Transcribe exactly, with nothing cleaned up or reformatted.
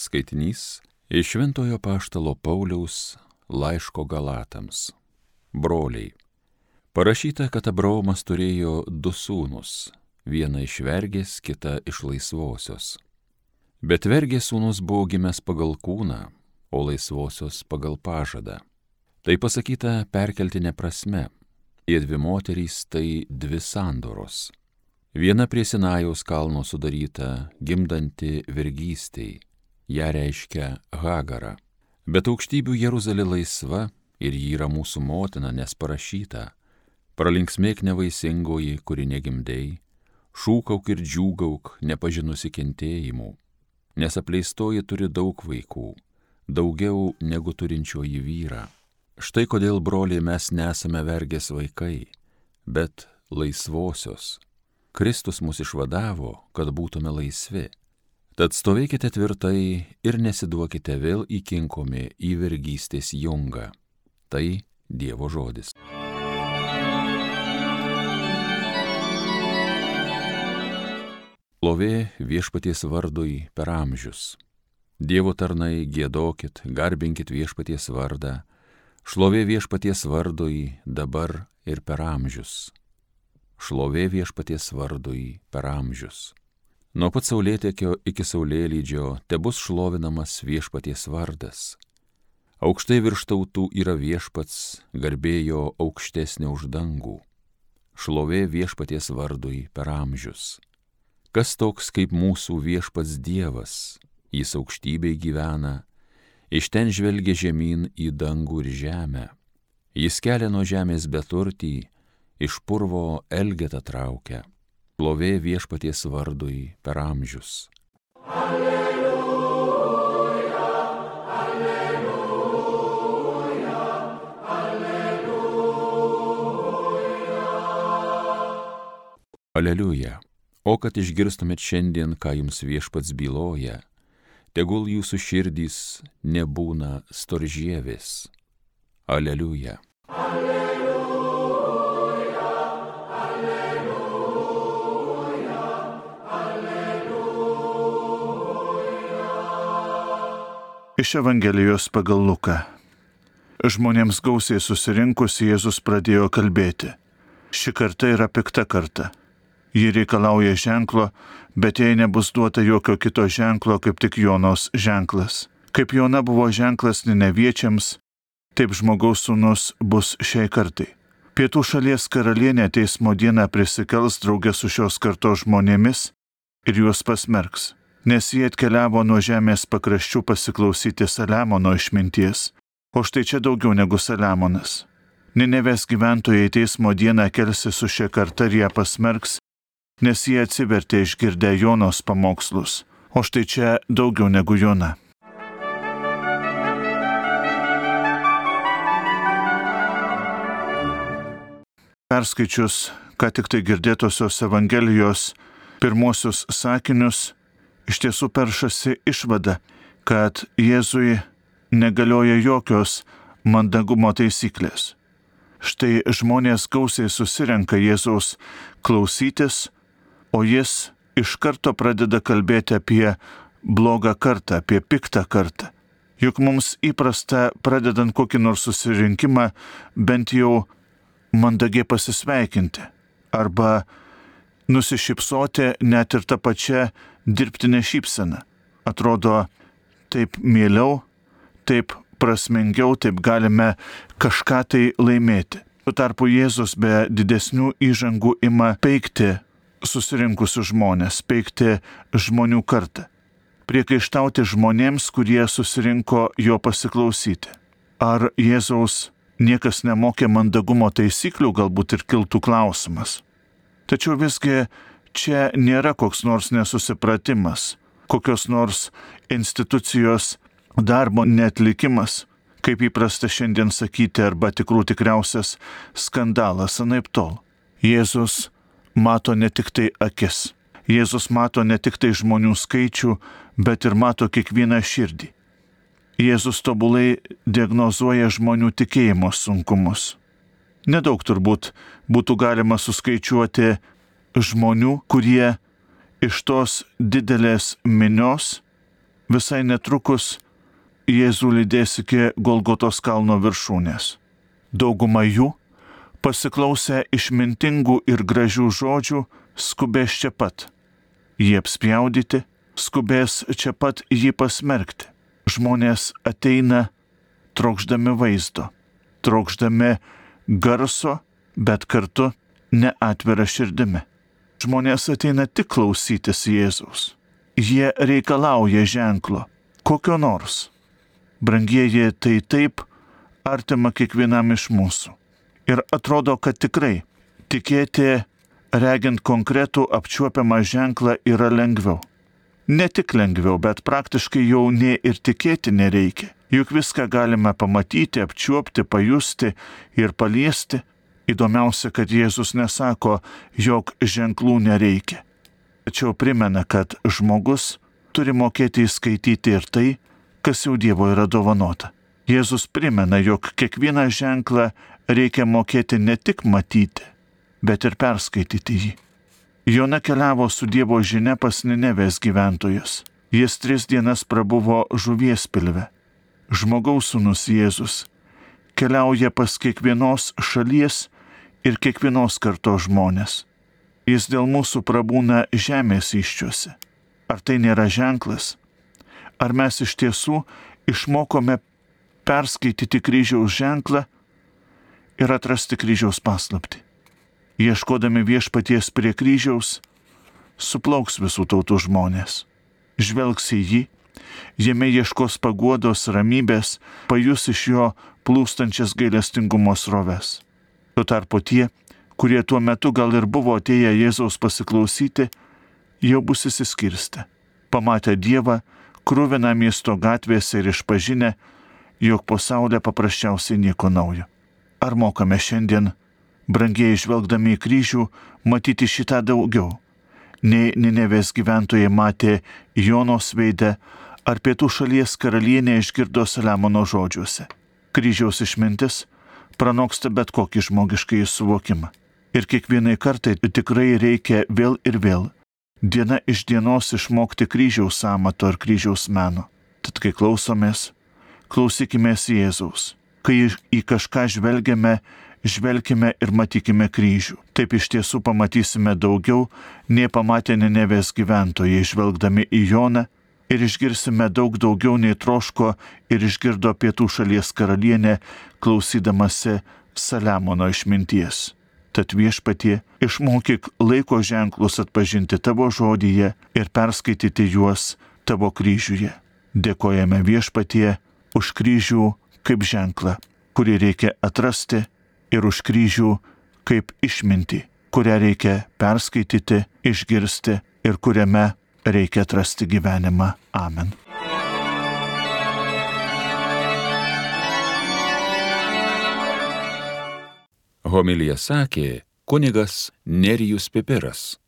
Skaitinys iš Šventojo Apaštalo Pauliaus laiško Galatams. Broliai, parašyta, kad Abraomas turėjo du sūnus, vieną iš vergės, kitą iš laisvosios. Bet vergės sūnus buvo gimęs pagal kūną, o laisvosios pagal pažadą. Tai pasakyta perkeltine prasme, ir dvi moterys tai dvi sandoros. Viena prie Sinajaus kalno sudaryta, gimdanti vergystei, ją reiškia Hagara. Bet aukštybių Jeruzalė laisva ir ji yra mūsų motina, nes parašyta: pralinksmėk nevaisingoji, kuri negimdei, šūkauk ir džiūgauk, nepažinusi kentėjimų, nes apleistoji turi daug vaikų, daugiau negu turinčioji vyrą. Štai kodėl, broliai, mes nesame vergės vaikai, bet laisvosios. Kristus mus išvadavo, kad būtume laisvi. Tad stovėkite tvirtai ir nesiduokite vėl įkinkomi į vergystės jungą. Tai Dievo žodis. Šlovė Viešpaties vardui per amžius. Dievo tarnai, giedokit, garbinkit Viešpaties vardą. Šlovė Viešpaties vardui dabar ir per amžius. Šlovė Viešpaties vardui per amžius. Nuo pat saulėtekio iki saulėlydžio tebus šlovinamas Viešpaties vardas. Aukštai virš tautų yra Viešpats, garbėjo aukštesnė už dangų. Šlovė Viešpaties vardui per amžius. Kas toks kaip mūsų Viešpats Dievas, jis aukštybėj gyvena, iš ten žvelgia žemyn į dangų ir žemę. Jis kelia nuo žemės beturtį, iš purvo elgetą traukia. Šlovė Viešpaties vardui per amžius. Alleluja, alleluja, alleluja. Aleliuja. O kad išgirstumėt šiandien, ką jums Viešpats byloja, tegul jūsų širdys nebūna storžievės. Aleliuja. Alleluja, alleluja, alleluja. Iš Evangelijos pagal Luką. Žmonėms gausiai susirinkus Jėzus pradėjo kalbėti. Ši karta yra pikta karta. Ji reikalauja ženklo, bet jai nebus duota jokio kito ženklo, kaip tik Jonos ženklas. Kaip Jona buvo ženklas Nineviečiams, taip žmogaus sūnus bus šiai kartai. Pietų šalies karalienė teismo dieną prisikels draugė su šios kartos žmonėmis ir juos pasmerks, nes jie atkeliavo nuo žemės pakraščių pasiklausyti Saliamono išminties, o štai čia daugiau negu Saliamonas. Ninevės gyventojai teismo dieną kelsi su šia karta ir ją pasmerks, nes jie atsivertė išgirdę Jonos pamokslus, o štai čia daugiau negu Jona. Perskaičius, ką tik tai girdėtosios Evangelijos pirmosius sakinius, iš tiesų peršasi išvada, kad Jėzui negalioja jokios mandagumo taisyklės. Štai žmonės gausiai susirenka Jėzaus klausytis, o jis iš karto pradeda kalbėti apie blogą kartą, apie piktą kartą. Juk mums įprasta, pradedant kokį nors susirinkimą, bent jau mandagiai pasisveikinti arba nusišypsoti net ir tą pačią dirbtinę šypseną. Atrodo, taip mieliau, taip prasmingiau, taip galime kažką tai laimėti. Tuo tarpu Jėzus be didesnių įžangų ima peikti susirinkusius žmonės, peikti žmonių kartą. Priekaištauti žmonėms, kurie susirinko jo pasiklausyti. Ar Jėzaus niekas nemokė mandagumo taisyklių, galbūt ir kiltų klausimas. Tačiau visgi čia nėra koks nors nesusipratimas, kokios nors institucijos darbo neatlikimas, kaip įprasta šiandien sakyti, arba tikrų tikriausias skandalas, anaiptol. Jėzus mato ne tik tai akis. Jėzus mato ne tik tai žmonių skaičių, bet ir mato kiekvieną širdį. Jėzus tobulai diagnozuoja žmonių tikėjimo sunkumus. Nedaug turbūt būtų galima suskaičiuoti žmonių, kurie iš tos didelės minios visai netrukus Jėzų lydės iki Golgotos kalno viršūnės. Dauguma jų, pasiklausę išmintingų ir gražių žodžių, skubės čia pat. Jie apspjaudyti, skubės čia pat jį pasmerkti. Žmonės ateina trokšdami vaizdo, trokšdami garso, bet kartu neatvira širdimi. Žmonės ateina tik klausytis Jėzaus. Jie reikalauja ženklo, kokio nors. Brangieji, tai taip artima kiekvienam iš mūsų. Ir atrodo, kad tikrai tikėti, regint konkretų apčiuopiamą ženklą, yra lengviau. Ne tik lengviau, bet praktiškai jau nė ir tikėti nereikia. Juk viską galime pamatyti, apčiuopti, pajusti ir paliesti. Įdomiausia, kad Jėzus nesako, jog ženklų nereikia. Tačiau primena, kad žmogus turi mokėti įskaityti ir tai, kas jau Dievo yra dovanota. Jėzus primena, jog kiekvieną ženklą reikia mokėti ne tik matyti, bet ir perskaityti jį. Jona keliavo su Dievo žinia pas Ninevės gyventojus. Jis tris dienas prabuvo žuvies pilve. Žmogaus sūnus Jėzus keliauja pas kiekvienos šalies ir kiekvienos kartos žmonės. Jis dėl mūsų prabūna žemės iščiuose. Ar tai nėra ženklas? Ar mes iš tiesų išmokome perskaityti kryžiaus ženklą ir atrasti kryžiaus paslaptį? Ieškodami viešpaties prie kryžiaus, suplauks visų tautų žmonės. Žvelgs į jį, jame ieškos paguodos, ramybės, pajus iš jo plūstančias gailestingumo sroves. Tuo tarpu tie, kurie tuo metu gal ir buvo atėję Jėzaus pasiklausyti, jau bus įsiskirstę. Pamatę Dievą, kruviną miesto gatvėse ir išpažinę, jog po saulę paprasčiausiai nieko naujo. Ar mokame šiandien, brangiai žvelgdami į kryžių, matyti šitą daugiau, nei Ninevės gyventojai matė Jonos veidę, ar pietų šalies karalienė išgirdo Saliamono žodžiuose? Kryžiaus išmintis pranoksta bet kokį žmogiškąjį suvokimą. Ir kiekvienai kartai tikrai reikia vėl ir vėl, diena iš dienos išmokti kryžiaus amato ir kryžiaus meno. Tad kai klausomės, klausykimės Jėzaus. Kai į kažką žvelgiame, žvelkime ir matykime kryžių. Taip iš tiesų pamatysime daugiau, nei pamatė Ninevės gyventojai žvelgdami į Joną, ir išgirsime daug daugiau nei troško ir išgirdo pietų šalies karalienė, klausydamasi Saliamono išminties. Tad viešpatie, išmokyk laiko ženklus atpažinti tavo žodyje ir perskaityti juos tavo kryžiuje. Dėkojame viešpatie už kryžių kaip ženklą, kurį reikia atrasti, ir už kryžių kaip išmintį, kurią reikia perskaityti, išgirsti ir kuriame reikia atrasti gyvenimą. Amen. Homiliją sakė kunigas Nerijus Pipiras.